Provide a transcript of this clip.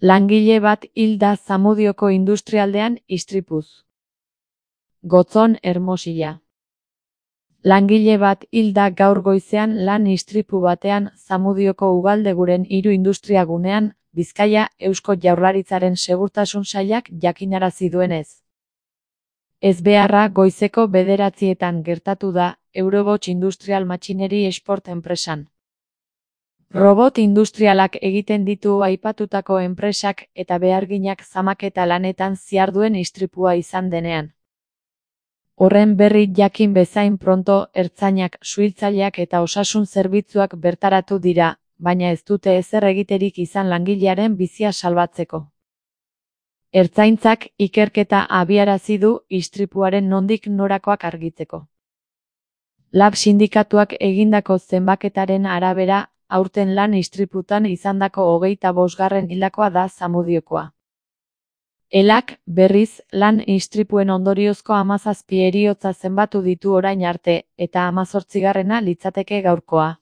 Langile bat hil da Zamudioko industrialdean istripuz. Gotzon, Hermosilla. Langile bat hil da gaur goizean lan istripu batean Zamudioko Ugaldeguren 3 industriagunean, Bizkaia, Eusko Jaurlaritzaren Segurtasun Sailak jakinarazi duenez. Ezbeharra goizeko 9:00 gertatu da, Eurobots Industrial Machinery Export enpresan. Robot industrialak egiten ditu aipatutako enpresak eta beharginak zamaketa lanetan ziharduen istripua izan denean. Horren berri jakin bezain pronto ertzainak, suhiltzaileak eta osasun zerbitzuak bertaratu dira, baina ez dute ezer egiterik izan langilearen bizia salbatzeko. Ertzaintzak ikerketa abiarazi du istripuaren nondik norakoak argitzeko. Lab sindikatuak egindako zenbaketaren arabera, aurten lan istriputan izandako 25. hildakoa da Zamudiokoa. Elak, berriz, lan istripuen ondoriozko 17 heriotza zenbatu ditu orain arte, eta 18. litzateke gaurkoa.